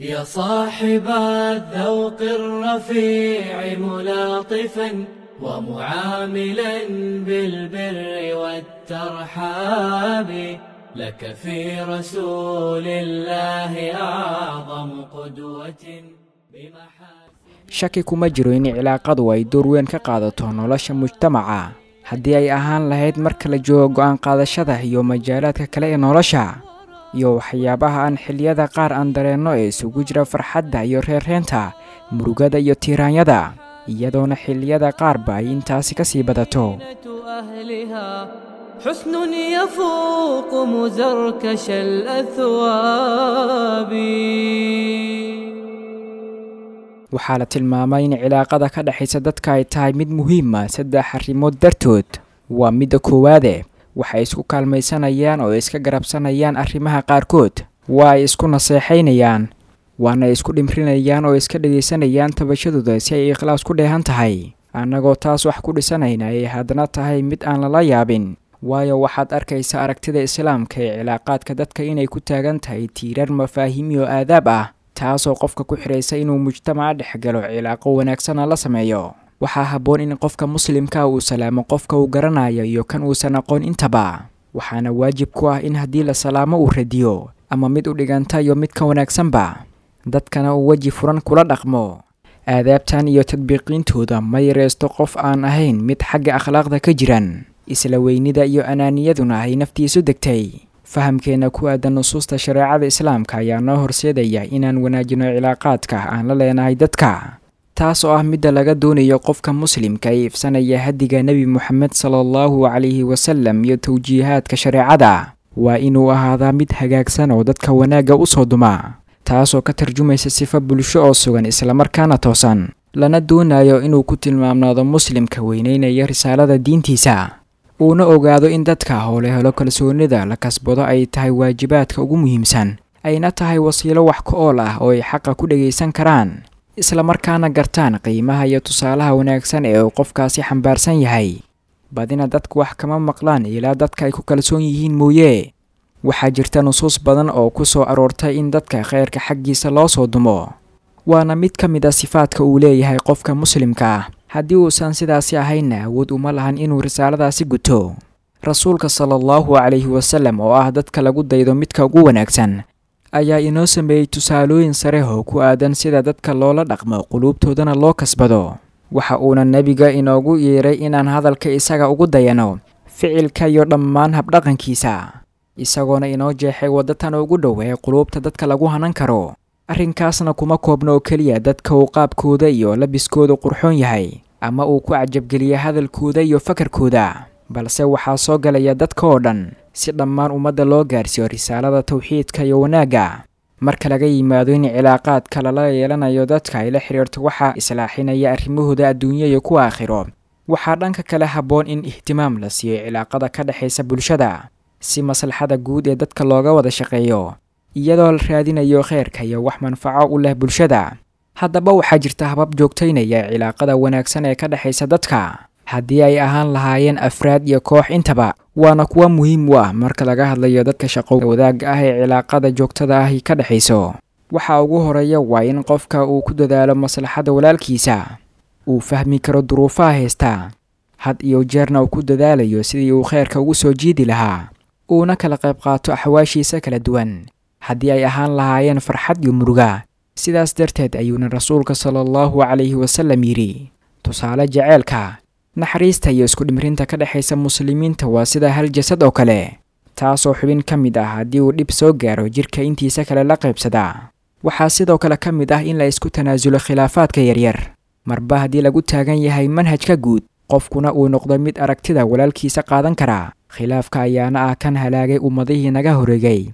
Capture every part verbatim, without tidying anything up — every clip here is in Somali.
يا صاحب الذوق الرفيع ملاطفا ومعاملا بالبر والترحاب لك في رسول الله أعظم قدوة بمحاسن. Shaki kuma jiro in cilaaqadu ay door weyn ka qaadato nolosha mujtamaca, haddii ay ahaan lahayd marka la joogo go'aan qaadashada iyo majaalaadka kale ee nolosha, iyo waxyaabaha aan xilliyada qaar aan dareenno ee isugu jira farxadda iyo reerreenta, murugada iyo tiiraanyada, iyadoona xilliyada qaarba ay intaasi ka sii badato. أهلها حسن يفوق مزركش الأثواب. Waxaa la tilmaamay in cilaaqada ka dhexaysa dadka ay tahay mid muhiima saddex arrimood dartood. Waa midda koowaade, waxay isku kaalmaysanayaan oo iska garabsanayaan arrimaha qaarkood, waa ay isku naseexaynayaan, waana isku dhimrinayaan oo iska dhegaysanayaan tabashadooda si ay ikhlaas ku dheehan tahay. Annagoo taas wax ku dhisanayna ay haddana tahay mid aan lala yaabin, waayo waxaad arkaysa aragtida islaamka ee cilaaqaadka dadka inay ku taagan tahay tiirar mafaahiim iyo aadaab ah, taasoo qofka ku xidhaysa inuu mujtamaca dhex galo, cilaaqo wanaagsana la sameeyo. Waxaa habboon in qofka muslimka uu salaamo qofka uu garanayo iyo kan uusan aqoon intaba, waxaana waajib ku ah in haddii la salaamo uu radiyo ama mid u dhiganta iyo mid ka wanaagsanba, dadkana uu weji furan kula dhaqmo. Aadaabtan iyo tadbiiqiintooda ma yareysto qof aan ahayn mid xagga akhlaaqda ka jiran, isla weynida iyo anaaniyaduna ay naftiisu degtay. Fahamkeena ku aadan nusuusta shareecada islaamka ayaa noo horseedaya inaan wanaajino cilaaqaadka aan la leenahay dadka, taas oo ah midda laga doonayo qofka muslimka ee ifsanaya hadiga Nebi Moxamed sala allahu calayhi wasalam iyo tawjiihaadka shareecada. Waa inuu ahaadaa mid hagaagsan oo dadka wanaagga u soo duma, taasoo ka tarjumaysa sifo bulsho oo sugan islamarkaana toosan, lana doonayo inuu ku tilmaamnaado muslimka weyneynaya risaalada diintiisa, uuna ogaado in dadka howle helo kalsoonida la kasbado ay tahay waajibaadka ugu muhiimsan, ayna tahay wasiilo wax ka ool ah oo ay xaqa ku dhagaysan karaan, islamarkaana gartaan qiimaha iyo tusaalaha wanaagsan ee uu qofkaasi xambaarsan yahay. Badina dadku wax kama maqlaan ilaa dadka ay ku kalsoon yihiin mooye. Waxaa jirta nusuus badan oo ku soo aroortay in dadka khayrka xaggiisa loo soo dumo, waana mid ka mid a sifaadka uu leeyahay qofka muslimka ah. Haddii uusan sidaasi ahaynna awood uma lahan inuu risaaladaasi guto. Rasuulka sala allahu calayhi wasalam oo ah dadka lagu daydo midka ugu wanaagsan ayaa inoo sameeyey tusaalooyin sare oo ku aadan sida dadka loola dhaqmo, quluubtoodana loo kasbado. Waxa uuna nebiga inoogu yeeray inaan hadalka isaga ugu dayano, ficilka iyo dhammaan habdhaqankiisa, isagoona inoo jeexay waddo tan ugu dhow ee quluubta dadka lagu hanan karo. Arrinkaasna kuma koobna oo keliya dadka uu qaabkooda iyo labiskooda qurxoon yahay ama uu ku cajabgeliya hadalkooda iyo fakarkooda, balse waxaa soo galaya dadka oo dhan si dhammaan ummadda loo gaarsiiyo risaalada tawxiidka iyo wanaagga. Marka laga yimaado in cilaaqaadka lala yeelanayo dadka ay la xiriirto waxaa islaaxinaya arrimahooda adduunyo iyo kuwa aakhiro, waxaa dhanka kale habboon in ihtimaam la siiyo cilaaqada ka dhexaysa bulshada si maslaxada guud ee dadka looga wada shaqeeyo, iyadoo la raadinayo khayrka iyo wax manfaco u leh bulshada. Haddaba waxaa jirta habab joogtaynaya cilaaqada wanaagsan ee ka dhexaysa dadka, haddii ay ahaan lahaayeen afraad iyo koox intaba, waana kuwa muhiim u ah marka laga hadlayo dadka shaqo wadaagga ah ee cilaaqada joogtada ahi ka dhexayso. Waxa ugu horeeya waa in qofka uu ku dadaalo maslaxadda walaalkiisa, uu fahmi karo duruufaha haysta, had iyo jeerna uu ku dadaalayo sidii uu khayrka ugu soo jiidi lahaa, uuna kala qayb qaato axwaashiisa kala duwan, haddii ay ahaan lahaayeen farxad iyo muruga. Sidaas darteed ayuuna rasuulka sala allahu calayhi wasalam yidhi, tusaale jaceylka, naxariista iyo isku dhimrinta ka dhexaysa muslimiinta waa sida hal jasad oo kale, taasoo xubin ka mid ah haddii uu dhib soo gaaro jirka intiisa kale la qaybsadaa. Waxaa sidoo kale ka mid ah in la isku tanaasulo khilaafaadka yaryar, marba haddii lagu taagan yahay manhajka guud, qofkuna uu noqdo mid aragtida walaalkiisa qaadan kara. Khilaafka ayaana ah kan halaagay ummadihii naga horeegay.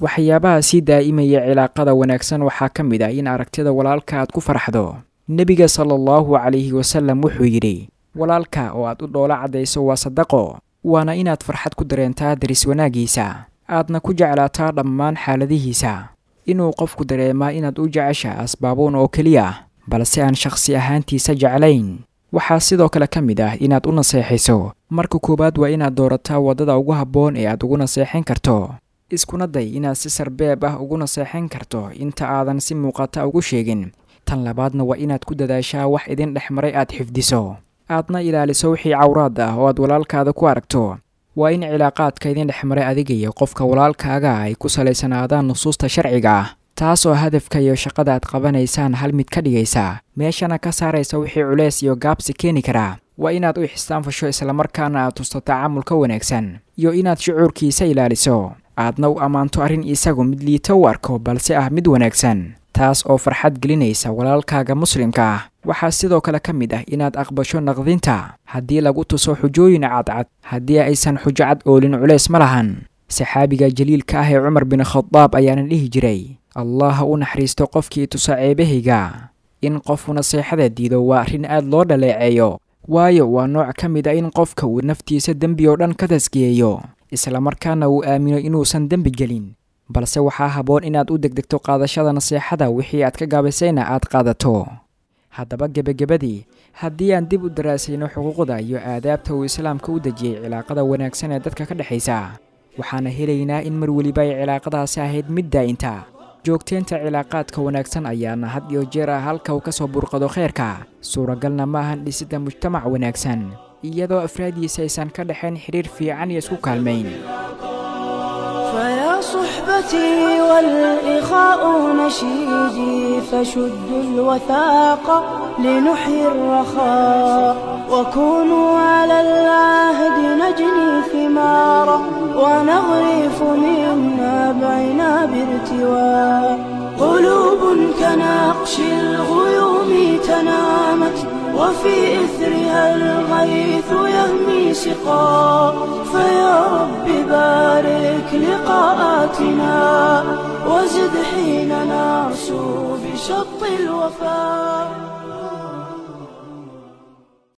Waxyaabaha sii daa'imaya cilaaqada wanaagsan waxaa ka mid ah in aragtida walaalka aad ku farxdo. Nebiga sala allahu calayhi wasalam wuxuu yidhi, walaalka oo aad u dhoola caddayso waa sadaqo, waana inaad farxad ku dareentaa daris wanaaggiisa, aadna ku jeclaataa dhammaan xaaladihiisa. Inuu qofku dareemaa inaad u jecesha asbaabuun oo keliya, balse aan shakhsi ahaantiisa jeclayn. Waxaa sidoo kale ka mid ah inaad u naseexayso. Marka koowaad waa inaad doorataa waddada ugu habboon ee aad ugu naseexin karto, Iskuna day inaad si sarbeeb ah ugu naseexan karto inta aadan si muuqata ugu sheegin. Tan labaadna waa inaad ku dadaashaa wax idin dhexmaray aad xifdiso, aadna ilaaliso wixii cawraad ah oo aad walaalkaada ku aragto. Waa in cilaaqaadka idin dhexmaray adiga iyo qofka walaalkaaga ay ku salaysanaadaan nusuusta sharciga ah, taasoo hadafka iyo shaqada aad qabanaysaan hal mid ka dhigaysa, meeshana ka saaraysa wixii culeys iyo gaabsi keeni karaa. Waa inaad u ixsaan fasho, islamarkaana aad tusto tacaamulka wanaagsan, iyo inaad shucuurkiisa ilaaliso, aadna u ammaanto arrin isagu mid liito u arko balse ah mid wanaagsan, taas oo farxad gelinaysa walaalkaaga muslimka ah. Waxaa sidoo kale ka mid ah inaad aqbasho naqdinta haddii lagu tuso xujooyin cadcad. Haddii aysan xujo cad oolin culeys ma lahan. Saxaabiga jaliilka ah ee Cumar bin Khadaab ayaana dhihi jiray, Allah ha u naxariisto qofkii tusa ceebahayga. In qofku naseexada diido waa arrin aad loo dhaleeceeyo, waayo waa nooc ka mid ah in qofka uu naftiisa dembi oo dhan ka taskiyeeyo, islamarkaana uu aamino inuusan dembi gelin. Balse waxaa habboon inaad u degdegto qaadashada naseexada, wixii aad ka gaabisayna aad qaadato. Haddaba gebagabadii, haddii aan dib u daraasayno xuquuqda iyo aadaabta uu islaamka u dejiyey cilaaqada wanaagsan ee dadka ka dhexaysa, waxaana helaynaa in mar weliba ay cilaaqadaasi ahayd mid daa'inta. Joogteynta cilaaqaadka wanaagsan ayaana had iyo jeer ah halka uu ka soo burqado kheyrka. Suuragalna ma ahan dhisidda mujtamac wanaagsan iyadoo afraadiisa aysan ka dhexayn xiriir fiican iyo isku kaalmayn. فيا صحبتي والإخاء نشيدي، فشدوا الوثاق لنحيي الرخاء، وكونوا على العهد نجني ثمارا، ونغرف من نبعنا بارتواء. قلوب كنقش الغيوم تنامت، وفي إثرها الغيث يهمي سقا. فيا رب بارك لقاءاتنا، وزد حين نرسو بشط الوفاء.